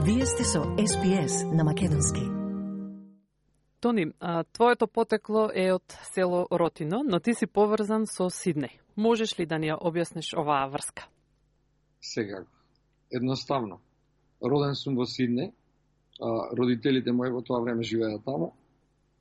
Вие сте со СПС на Македонски. Тони, твоето потекло е од село Ротино, но ти си поврзан со Сиднеј. Можеш ли да ни ја објасниш оваа врска? Секако. Едноставно. Роден сум во Сиднеј, родителите мои во тоа време живееа таму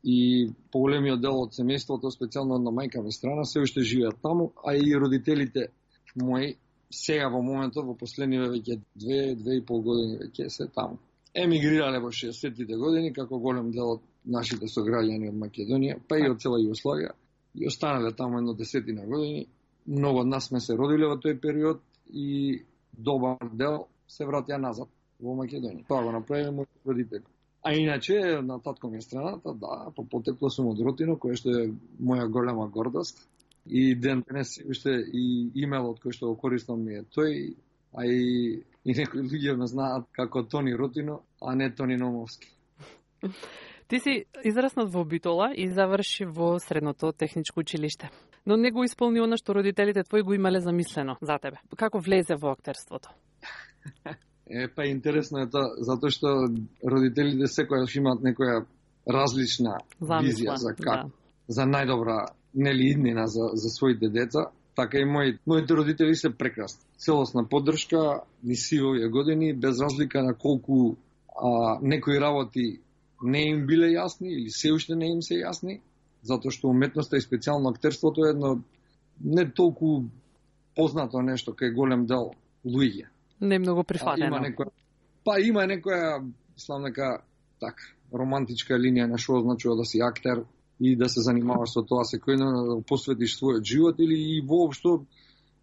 и поголемиот дел од семејството, специјално на мајка ми страна, се уште живеат таму, а и родителите мои сега во моментот, во последниве веќе 2,5 години веќе се таму. Емигрирале во 60-тите години, како голем дел од нашите сограѓани од Македонија, па и од цела Југославија, и останале таму едно 10 години. Многу од нас сме се родиле во тој период и добар дел се вратија назад во Македонија. Тоа го направиле мои родители. А иначе, на татко ми страната, да, по потекло сум од Ротино, кој што е моја голема гордост. И ден денес уште и имелот кој што го користам ми е тој, а и некои луѓе ме знаат како Тони Ротино, а не Тони Номовски. Ти си израснат во Битола и заврши во средното техничко училиште. Но не го исполни она што родителите твои го имале замислено за тебе. Како влезе во актерството? Па интересно е тоа, затоа што родителите секојаш имаат некоја различна визија за како, за најдобра иднина за своите деца. Така и моите родители се прекрасни. Целосна поддршка, ни сивови години, без разлика на колку некои работи не им биле јасни или се уште не им се јасни, затоа што уметноста и специјално актерството е едно не толку познато нешто кај голем дел луѓе. Не многу прифатено. Има некоја, мислам дека така, романтичка линија на што означува да си актер и да се занимаваш со тоа секојдневно, да посветиш својот живот или и воопшто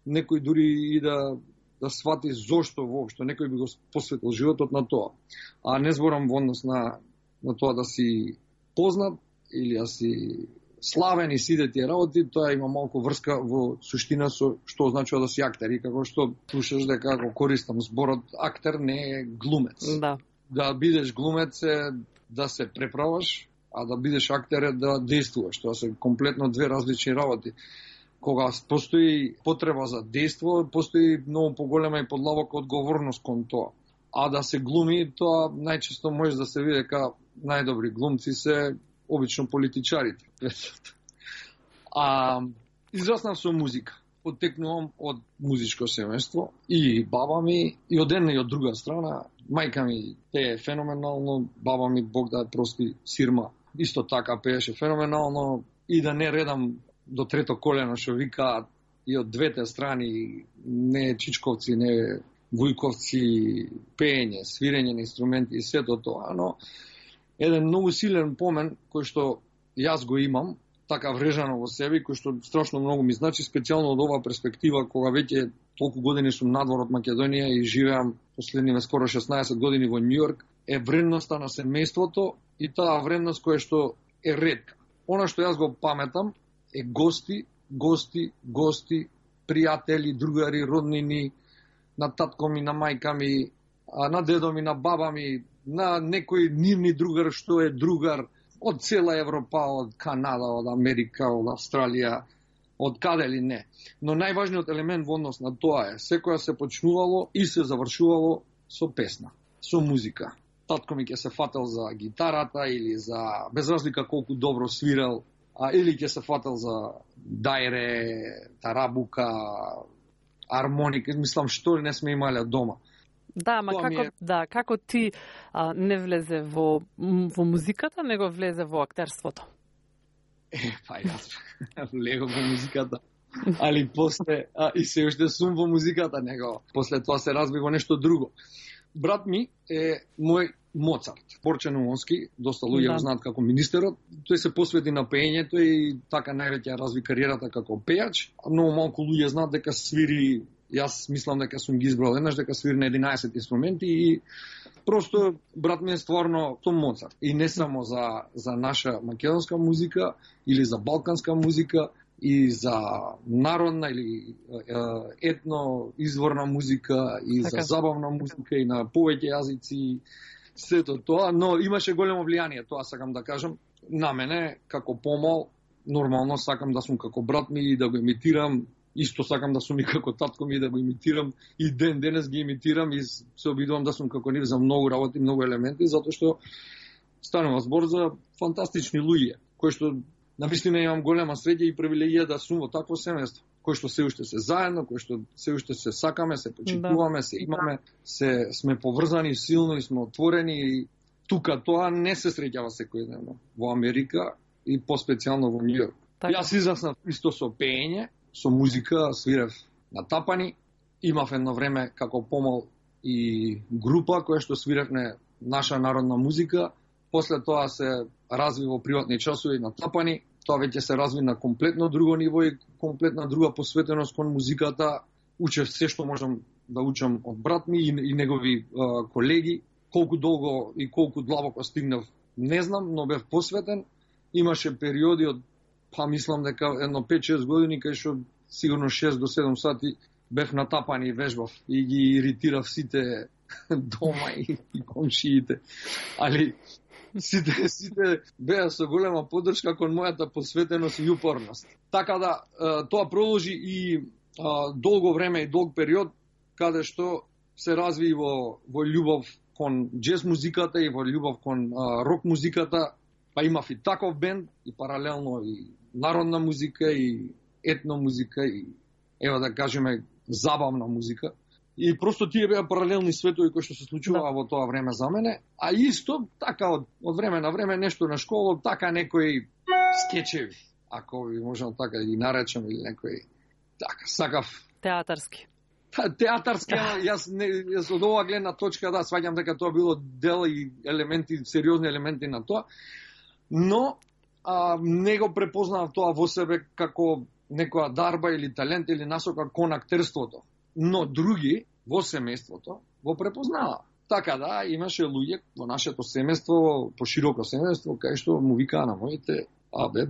некој дури и да свати зошто воопшто некој би го посветил животот на тоа. А не зборам во однос на тоа да си познат или да си славен и сите тие работи, тоа има малку врска во суштина со што означува да си актер. И како што слушаш дека го користам зборот актер не е глумец. Да. Да бидеш глумец е да се преправаш, а да бидеш актер е да действуваш. Тоа се комплетно две различни работи. Кога постои потреба за дејство, постои многу поголема и подлабока одговорност кон тоа. А да се глуми, тоа најчесто може да се види дека најдобри глумци се обично политичарите. Израснав со музика. Потекнувам од музичко семејство и баба ми, и од една и од друга страна. Мајка ми пее феноменално, баба ми, Бог да ја прости, Сирма, исто така пееше феноменално. И да не редам до трето колено, што викаат и од двете страни, не чичковци, не вујковци, пеење, свирење на инструменти и сето тоа, но еден многу силен помен кој што јас го имам, така врежано во себе, кој што страшно многу ми значи, специјално од оваа перспектива, кога веќе толку години сум надвор од Македонија и живеам последниве скоро 16 години во Њујорк, е вредноста на семејството и таа вредност која што е ретка. Она што јас го паметам е гости, пријатели, другари, роднини, на татко ми, на мајка ми, на дедо ми, на баба ми, на некој нивни другар што е другар од цела Европа, од Канада, од Америка, од Австралија, од каде ли не. Но најважниот елемент во однос на тоа е, секоја се почнувало и се завршувало со песна, со музика. Татко ми ќе се фател за гитарата или за, без разлика колку добро свирал, или ќе се фател за дајре, тарабука, армоника, мислам што не сме имале дома. Да, ма како ти не влезе во музиката, него влезе во актерството? Па јас влегов во музиката, али после, и се уште сум во музиката, него после тоа се разби во нешто друго. Брат ми е мој Моцарт, Борче Умовски, доста луѓе го знаат како министерот. Тој се посвети на пеењето и така највеќе разви кариерата како пејач. Многу малку луѓе знаат дека свири, јас мислам дека сум ги избрал еднаш, дека свири на 11 инструменти и просто брат ми е стварно Том Моцарт. И не само за наша македонска музика или за балканска музика, и за народна или етно изворна музика и така, за забавна музика и на повеќе јазици, сето тоа, но имаше големо влијание, тоа сакам да кажам, на мене како помал, нормално сакам да сум како брат ми и да го имитирам Исто сакам да сум и како татко ми, да го имитирам, и денес ги имитирам и се обидувам да сум како нив за многу работи, многу елементи, затоа што станува збор за фантастични луѓе, кои што навистина имам голема среќа и привилегија да сум во такво семејство, кои што се уште се заедно, кои што се уште се сакаме, се почитуваме, се имаме, сме поврзани силно и сме отворени, и тука тоа не се среќава секојдневно во Америка и поспецијално во Њујорк. Јас израснав исто со пеење, со музика, свирев на тапани, имав едно време како помал и група која што свиревме наша народна музика. После тоа се разви во приватни часови на тапани, тоа веќе се разви на комплетно друго ниво и комплетна друга посветеност кон музиката. Учев се што можам да учам од брат ми и негови колеги. Колку долго и колку длабоко стигнав, не знам, но бев посветен. Имаше периоди од, мислам дека едно 5-6 години, кај што сигурно 6 до 7 сати бев натапани и вежбав и ги иритирав сите дома и комшиите. Али сите беа со голема поддршка кон мојата посветеност и упорност. Така да, тоа продолжи и долго време и долг период, каде што се разви во љубов кон джез музиката и во љубов кон рок музиката, па имав и таков бенд, и паралелно и народна музика, и етно музика, и ева да кажеме забавна музика. И просто тие беа паралелни светови кои што се случуваа во тоа време за мене, а исто така од време на време нешто на школа, така некои скечеви, ако ви можам така да ги наречам, или некои така сакав театарски. Театарски, јас од оваа гледна точка сваѓам дека тоа било дел и елементи, сериозни елементи на тоа, но не го препознавам тоа во себе како некоја дарба или талент или насока кон актерството. Но други во семејството го препознава. Така да, имаше луѓе во нашето семејство, пошироко семејство, кај што му викаа на моите,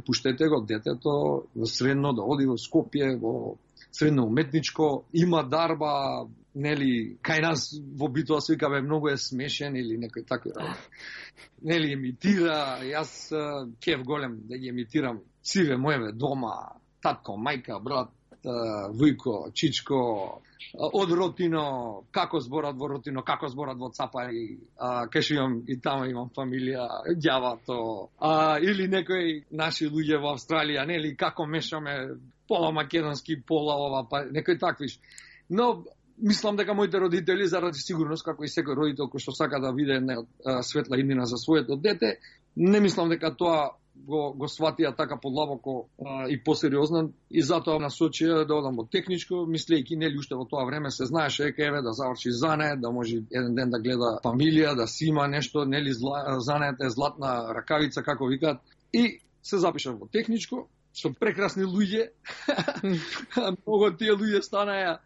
пуштете го детето во средно да оди во Скопје, во средно уметничко, има дарба, нели, кај нас во битоа се вика, многу е смешен или некој такви работи. Нели, имитира, јас кеф голем да ги имитирам сиве моеве дома, татко, мајка, брат, Вујко, Чичко, од Ротино, како зборат во Ротино, како зборат во Цапари, кај што имам и тamo имам фамилија, ѓавато, или некои наши луѓе во Австралија, нели, како мешаме пола македонски, пола ова, па некои таквиш. Но мислам дека моите родители, заради сигурност, како и секој родител кој што сака да види една светла иднина за своето дете, не мислам дека тоа го сватија така подлабоко и посериозно, и затоа насочија да одам во техничко, мислејќи, нели, уште во тоа време се знаеше дека еве да заврши занет, да може еден ден да гледа фамилија, да си има нешто, нели, занет е златна ракавица, како викаат, и се запишав во техничко со прекрасни луѓе. Многу тие луѓе станаа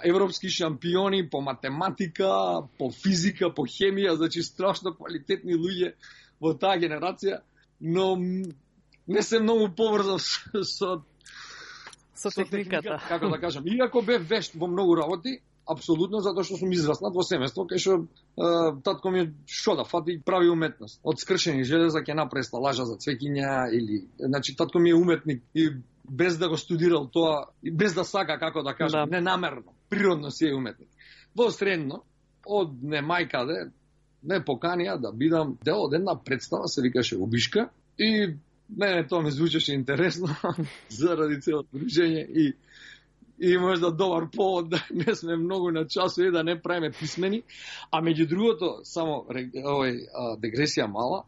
европски шампиони по математика, по физика, по хемија, значи страшно квалитетни луѓе во таа генерација, но не се многу поврзав со техниката. Како да кажам. Иако бев вешт во многу работи, апсолутно, затоа што сум израснат во семејство, кај што татко ми да фати прави уметност. Од скршени железа ќе направи сталажа за цвеќиња, или, значи, татко ми е уметник и без да го студирал тоа, и без да сака, како да кажам, ненамерно, природно си е уметник. Во средно, од немајкаде, ме поканија да бидам дел од една представа, се викаше Убишка, и мене тоа ми звучеше интересно заради целото дружење и можда добар повод да не сме многу на часови, да не правиме писмени, а меѓу другото, само дегресија мала,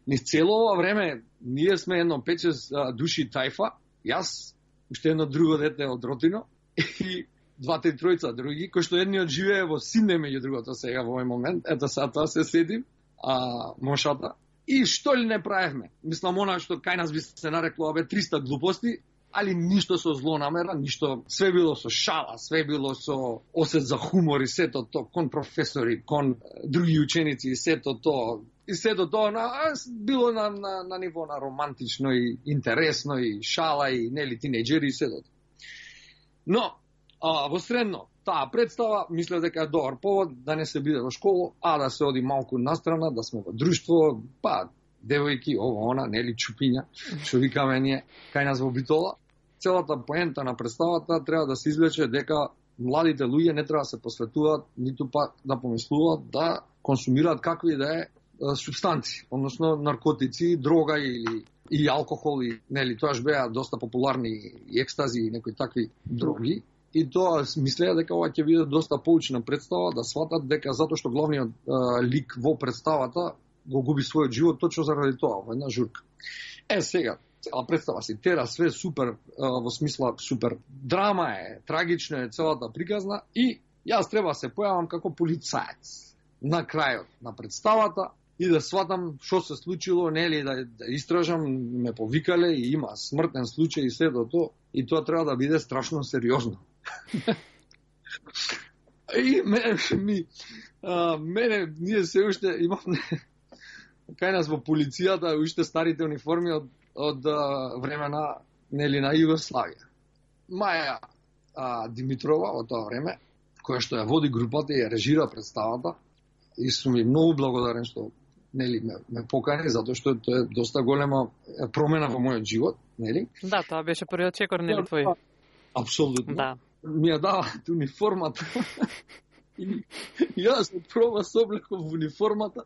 низ цело ова време ние сме едно 5-6 души тајфа, јас, уште едно друго дете од Ротино и 2-3 други, кои што едниот живее во Сиднеј, меѓу другото сега во овој момент, ето сега тоа се седим, мошата, и што ли не правевме? Мислам, она што кај нас би се нарекло 300 глупости, али ништо со злонамера, ништо, све било со шала, све било со осет за хумор и сето тоа, кон професори, кон други ученици и сето тоа. И сето тоа било на ниво на романтично и интересно и шала и нели тинејџери и сето. Но, во средно, таа представа, мислев дека е добар повод да не се биде во школа, а да се оди малку настрана, да сме во друштво, па, девојки, ова, она, нели, чупиња, што викаме ние, кај нас во Битола. целата поента на представата треба да се извлече дека младите луѓе не треба да се посветуваат, ниту па да помислуваат да консумираат какви да е субстанци, односно наркотици, дрога и алкохол, и нели тоаш беа доста популарни и екстази и некои такви дроги. И тоа мислеа дека ова ќе биде доста поучна представа, да сватат дека затоа што главниот лик во представата го губи својот живот точно заради тоа, во една журка. Сега, цела представа си тера све супер, во смисла супер драма е, трагична е целата приказна и јас треба да се појавам како полицаец на крајот на представата и да сватам што се случило, нели да истражам, ме повикале и има смртен случај и сето тоа, и тоа треба да биде страшно сериозно. И мене ние се уште имаме кај нас во полицијата уште старите униформи од времена нели на Југославија. Маја Димитрова во тоа време, која што ја води групата и ја режира представата, и сум ми многу благодарен што нели ме покани, затоа што тоа е доста голема промена во мојот живот, нели? Да, тоа беше првиот чекор, нели твој? Апсолутно. Да. Ми ја даваат униформата. И јас проба се облеков во униформата.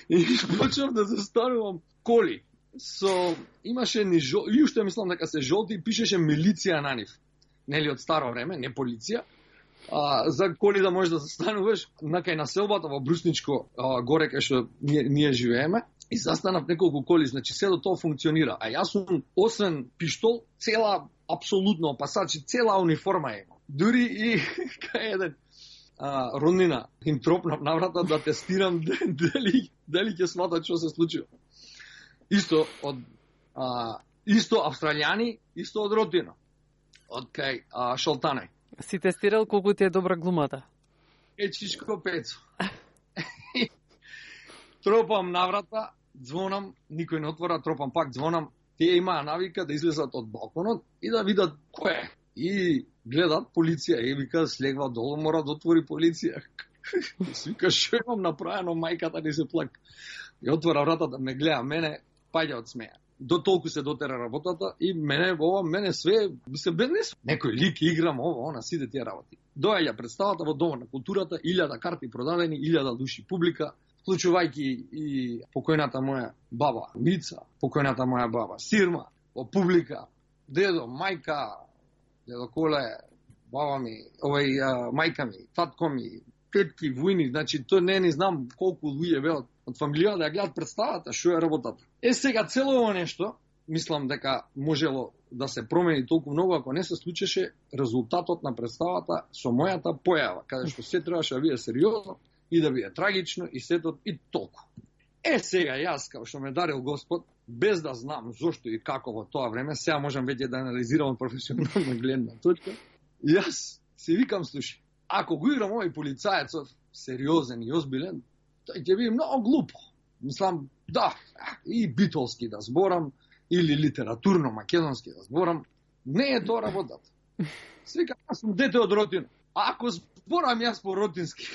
И почнав да застанувам коли. Имаше ни и уште мислам дека се жолти и пишеше милиција на нив. Нели од старо време, не полиција. За коли да можеш да застануваш накај населбата во Брусничко, горе кај што ние живееме. И застанав неколку коли, значи седо тоа функционира. А јас сум, освен пиштол, цела, апсолутно опасачи, цела униформа е. Дури и кај еден роднина им тропнав на врата да тестирам дали ќе сматат што се случило. Исто од исто австралијани, исто од родина. Од кај Шалтанај. Си тестирал колку ти е добра глумата? Чичко Пецо. Тропам на врата, звонам, никој не отвора, тропам пак, звонам. Тие имаа навика да излезат од балконот и да видат кој е. И гледат полиција и вика слегва долу, мора да отвори полиција. Вика што имам направено, мајката ни се плак. И отвора врата да ме гледа мене, паѓа од смеја. До толку се дотера работата и мене све се беднес. Некој лик играм на сите тие работи. Доаѓа представата во Домот на културата, 1000 карти продадени, 1000 души публика, вклучувајќи и покојната моја баба Мица, покојната моја баба Сирма, во публика, дедо, мајка, дедо Коле, баба ми, мајка ми, татко ми, тетки, војни, значи тоа не знам колку луѓе беа од фамилија да ја гледат представата, што е работата. Сега цело ово нешто, мислам дека можело да се промени толку многу ако не се случеше резултатот на представата со мојата појава, каде што се требаше да биде сериозно и да биде трагично и сето и толку. Сега јас, као што ме дарил Господ, без да знам зошто и како во тоа време, сега можам веќе да анализирам од професионална гледна точка, јас се викам, слушай, ако го играм овој полицаецов сериозен и озбилен, тој ќе биде многу глупо. Мислам, да, и битолски да зборам, или литературно македонски да зборам, не е тоа работата. Свика, јас сум дете од родина. А ако зборам јас по родински,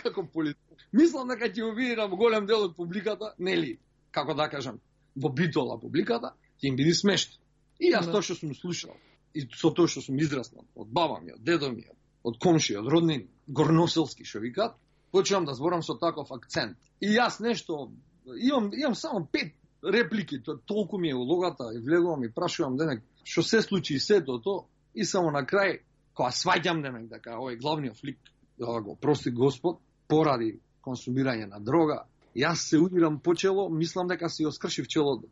како полицаец, мислам дека ќе увидам голем дел од публиката, нели, како да кажам, во битола публиката, ќе им биде смешно. И јас тоа што сум слушал, и со тоа што сум израснал, од баба ми, од дедо ми, од комши, од роднини, горноселски што викат, почнам да зборам со таков акцент. И јас нешто, имам само 5 реплики, толку ми е улогата, и влегувам и прашувам денек, што се случи и сето тоа, и само на крај, кога сваќам денек, дека овој главниот лик, да го прости Господ, поради консумирање на дрога, јас се удирам по чело, мислам дека си оскршив челото,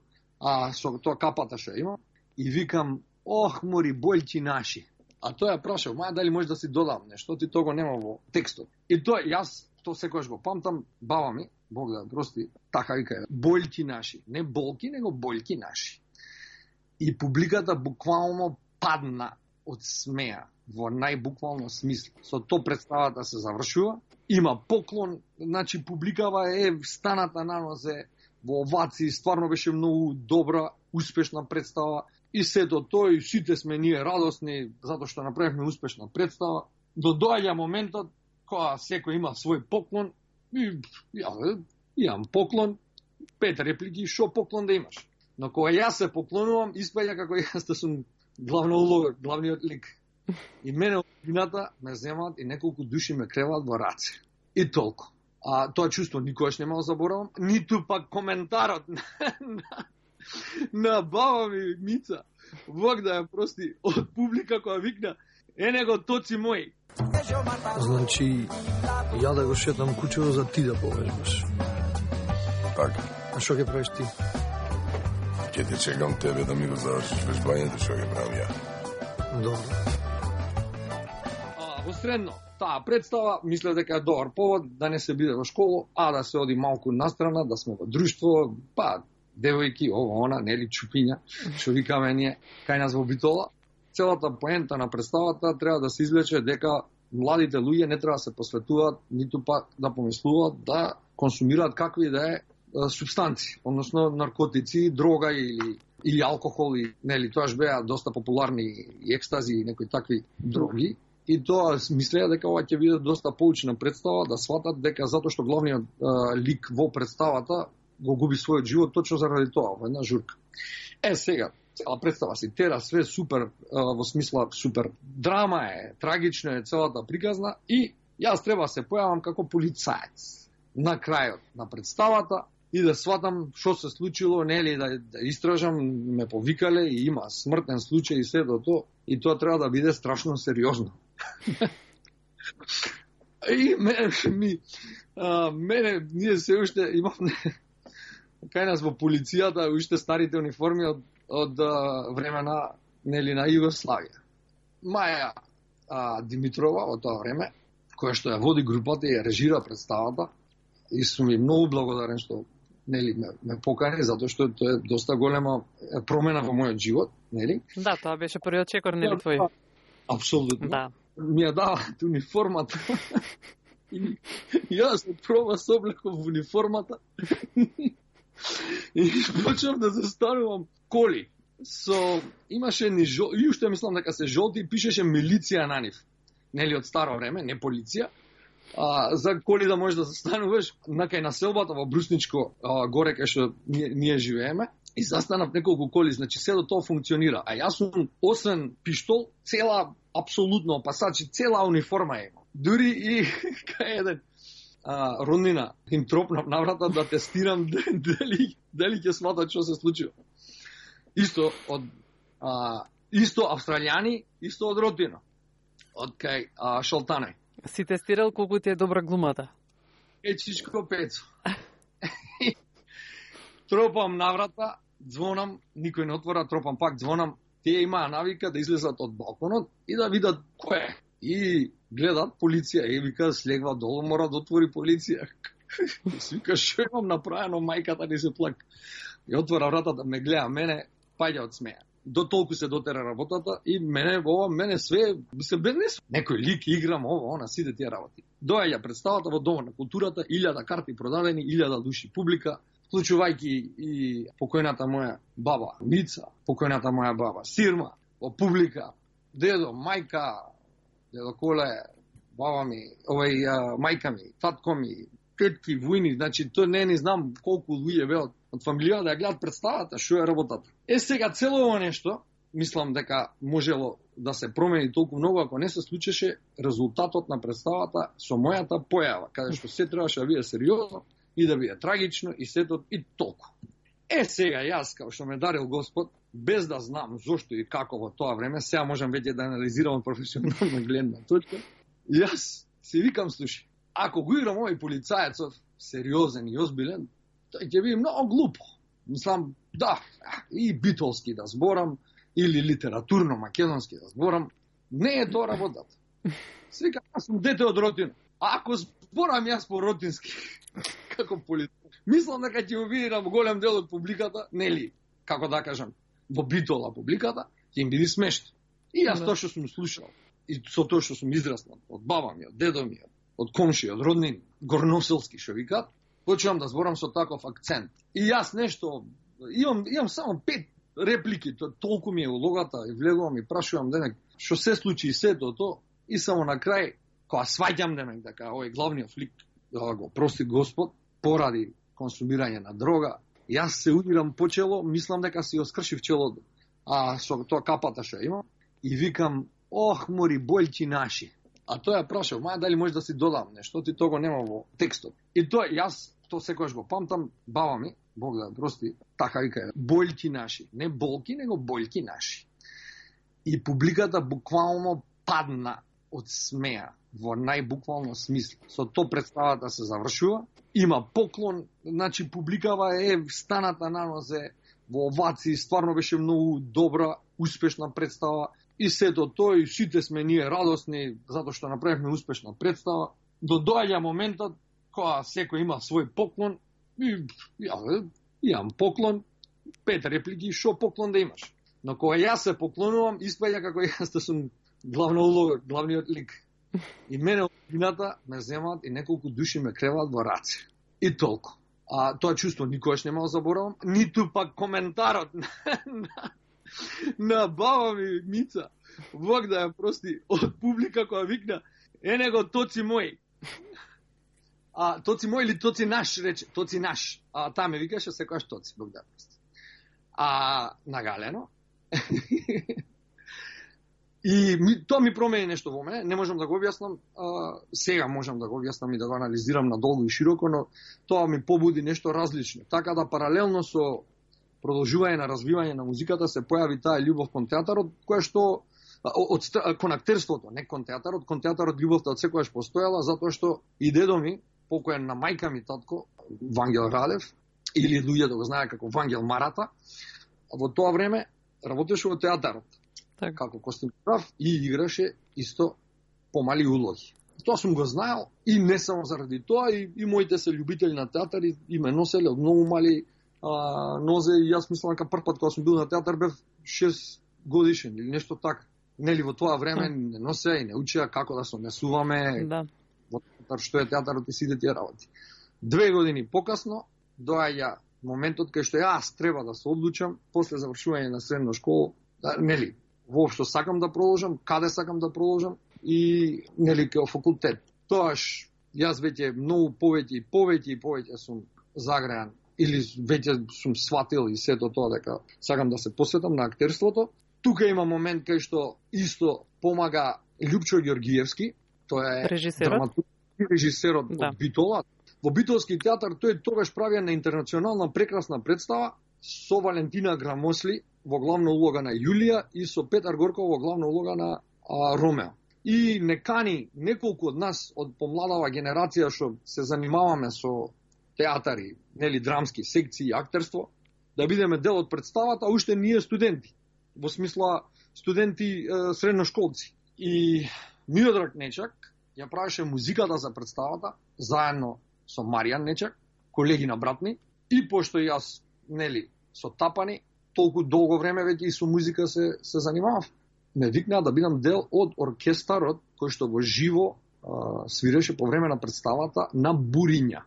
со тоа капата што имам, и викам, ох, мори, бољки наши. А тој ја прашал, дали може да си додам нешто, ти тоа го нема во текстот. И тоа, јас, тоа секојаш го памтам, баба ми, Бог да прости, така вика, бољки наши. Не болки, него бољки наши. И публиката буквално падна од смеја, во најбуквално смисла. Со тоа представата се завршува, има поклон, значи публикава е станата на нозе, во овации, стварно беше многу добра, успешна представа, и сето тој, сите сме ние радосни, затоа што направивме успешна представа. Доаѓа моментот, кога секој има свој поклон, и имам поклон, 5 реплики, шо поклон да имаш? Но кога јас се поклонувам, испаѓа како јас да сум главна улога, главниот лик. И мене од вината ме земаат и неколку души ме креваат во раце. И толку. А тоа чувство никогаш нема да заборавам, ниту пак коментарот на баба ми Мица. Бог да ја прости, од публика која викна: "Него тоци мој." Значи, ја да го шетам кучево за ти да повежбаш. Така. А што ќе правиш ти? Ќе те чекам тебе да ми го завршиш вежбањето, што ќе правам ја. Добро. Во средно, таа представа, мислев дека е добар повод да не се биде во школа, а да се оди малку настрана, да сме во друштво, па девојки, ова, она, нели, чупиња, што викаме ние, кај нас во Битола. Целата поента на представата треба да се извлече дека младите луѓе не треба да се посветуваат, ниту пак да помислуваат да консумираат какви да е субстанци, односно наркотици, дрога или алкохол, и нели тоаш беа доста популарни и екстази и некои такви дроги. И тоа мислеа дека ова ќе биде доста поучна представа, да сватат дека затоа што главниот лик во представата го губи својот живот точно заради тоа, во една журка. Сега, цела представа си тера, све супер, во смисла супер драма е, трагично е целата приказна, и јас треба се појавам како полицаец на крајот на представата и да сватам што се случило, нели, да истражам, ме повикале и има смртен случај и се до тоа, и тоа треба да биде страшно сериозно. И мене ние се уште имавме кај нас во полицијата уште старите униформи од времена, нели, на Југославија. Маја Димитрова во тоа време, која што ја води групата и ја режира представата, и сум ми многу благодарен што, нели, ме покани, затоа што тоа е доста голема промена во мојот живот, нели? Да, тоа беше првиот чекор, нели, твој? Апсолутно. Да. Ми ја даваат униформата. И јас од проба се облеков во униформата. И почнав да застанувам коли. Имаше ни и уште мислам дека се жолти, и пишеше милиција на нив. Нели, од старо време, не полиција. За коли да можеш да застануваш на кај населбата во Брусничко, горе кај што ние живееме. И застанав неколку коли, значи се до тоа функционира. А јас сум, освен пиштол, цела, апсолутно опасачи, цела униформа има. Дури и кај еден роднина им тропнав на врата да тестирам дали ќе сватат што се случува. Исто од исто австралијани, исто од родина. Од кај Шалтанај. Си тестирал колку ти е добра глумата? Ечичко Пецо. Тропам на врата, звонам, никој не отвора, тропам пак, звонам. Тие имаа навика да излезат од балконот и да видат кој е. И гледат полиција и вика, слегва долу, мора да отвори полиција. И си вика, шо имам направено, мајката ни се плак. И отвора вратата, ме гледа мене, паѓа од смеја. До толку се дотера работата и мене све се безнес. Некој лик играм, она, сите тие работи. Доаѓа представата во Домот на културата, 1000 карти продадени, 1000 души публика, вклучувајќи и покојната моја баба Мица, покојната моја баба Сирма, во публика, дедо, мајка, дедо Коле, баба ми, мајка ми, татко ми, тетки, војни, значи тоа не знам колку луѓе беа од фамилија да ја гледат представата, што е работата. Сега цело ова нешто, мислам дека можело да се промени толку многу ако не се случеше резултатот на представата со мојата појава, каде што се требаше да биде сериозно и да биде трагично и сето и толку. Сега јас, као што ме дарил Господ, без да знам зошто и како во тоа време, сега можам веќе да анализирам професионална гледна точка, јас си викам, слушай, ако го играм овој полицаецов сериозен и озбилен, тој ќе биде многу глупо. Мислам, да, и битолски да зборам, или литературно македонски да зборам, не е тоа работата. Свика, јас сум дете од родина. Ако зборам јас по родински, како полицаец, мислам дека ќе го види на голем дел од публиката, нели, како да кажам, во Битола публиката, ќе им биде смешно. И јас тоа што сум слушал, и со тоа што сум израснал, од баба ми, од дедо ми, од комши, од роднини, горноселски што викат, почнувам да зборам со таков акцент. И јас нешто, имам само 5 реплики, толку ми е улогата, и влегувам и прашувам денек, што се случи и сето тоа, и само на крај, кога сваќам денек, дека овој главниот флик, да го прости Господ, поради консумирање на дрога, Јас се удирам по чело, мислам дека си оскршив челото, со тоа капата што има, и викам, ох, мори, бољки наши. А тој ја прашал, маја дали може да си додам нешто, ти того нема во текстот. И тоа, јас то секојаш го памтам, баба ми, Бог да прости, така вика, бољки наши. Не болки, него бољки наши. И публиката буквално падна од смеа, во најбуквално смисла. Со тоа представата се завршува, има поклон, значи публикава е станата на нозе, во овации, стварно беше многу добра, успешна представа, и сето тоа, и сите сме ние радосни, затоа што направивме успешна представа. До доаѓа моментот, кога секој има свој поклон, и имам поклон, 5 реплики, шо поклон да имаш? Но кога јас се поклонувам, испаѓа како јас да сум главна улога, главниот лик. И мене од кината ме земаат и неколку души ме креваат во раце. И толку. Тоа чувство никогаш нема да заборавам, ниту пак коментарот на баба ми Мица, Бог да ја прости, од публика која викна, него тоци мој. Тоци мој или тоци наш, рече, тоци наш. Таа ме викаше секојаш тоци, Бог да ја прости. Нагалено. И тоа ми промени нешто во мене, не можам да го објаснам, сега можам да го објаснам и да го анализирам надолго и широко, но тоа ми побуди нешто различно. Така да паралелно со продолжување на развивање на музиката се појави таа љубов кон театарот, која што кон актерството, не кон театарот, љубовта од секојаш постојала, затоа што и дедо ми, покоен на мајка ми татко, Вангел Радев, или луѓето го знаеа како Вангел Марата, во тоа време работеше во театарот. Како костюмограф и играше исто помали улоги. Тоа сум го знаел и не само заради тоа, и моите се љубители на театар и ме носеле од многу мали нозе, и јас мислам дека прв пат кога сум бил на театар бев 6 годишен или нешто така. Нели во тоа време не носе и не учеа како да се однесуваме во театар, што е театарот и сите тие работи. 2 години покасно доаѓа моментот кај што јас треба да се одлучам после завршување на средна школа, нели, воопшто сакам да продолжам, каде сакам да продолжам и нели кај факултет. Тоаш јас веќе многу повеќе сум загреан или веќе сум сватил и сето тоа дека сакам да се посветам на актерството. Тука има момент кај што исто помага Љупчо Ѓоргиевски, тоа е режисерот од Битола. Во Битолски театар тој тогаш правија на интернационална прекрасна представа со Валентина Грамосли во главна улога на Јулија и со Петар Горков во главна улога на Ромео. И не кани неколку од нас од помладава генерација што се занимаваме со театари, нели драмски секции и актерство, да бидеме дел од представата, уште ние студенти, во смисла студенти средношколци. И Миодраг Нечак ја правеше музиката за представата заедно со Маријан Нечак, колеги на братни, и пошто јас, нели, со тапани, толку долго време веќе и со музика се занимавав, ме викнаа да бидам дел од оркестарот кој што во живо свиреше по време на представата на Буриња.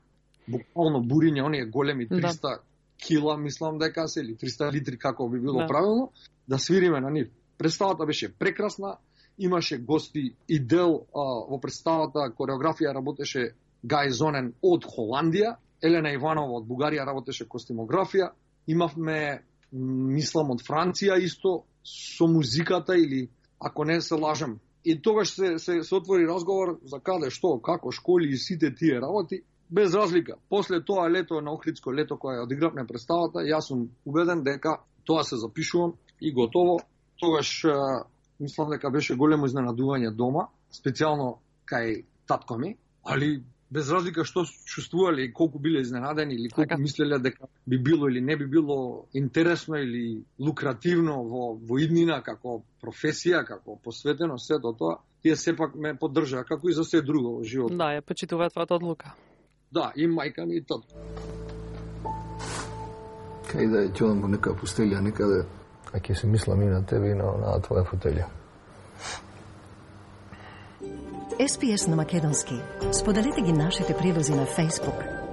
Буквално Буриња, оние големи 300 кила, мислам дека се, или 300 литри, како би било правилно, да свириме на нив. Представата беше прекрасна, имаше гости и дел во представата, кореографија работеше Гај Зонен од Холандија, Елена Иванова од Бугарија работеше костюмографија, имавме, мислам, од Франција исто, со музиката или, ако не се лажам. И тогаш се отвори разговор за каде, што, како, школи и сите тие работи, без разлика. После тоа лето, на Охридско лето, кое одигравме представата, јас сум убеден дека тоа се запишувам и готово. Тогаш, мислам дека беше големо изненадување дома, специјално кај татко ми, али без разлика што чувствувале и колку биле изненадени или колку мислеле дека би било или не би било интересно или лукративно во иднина како професија, како посветено сето тоа, тие сепак ме поддржаа како и за се друго во животот. Да, ја почитуваат твојата одлука. Да, и мајка ми и татко. Кај да ја ќодам во нека пустелја некаде, а ќе се мислам и на тебе и на твоја фотелја. SPS на македонски. Споделете ги нашите прилози на Facebook.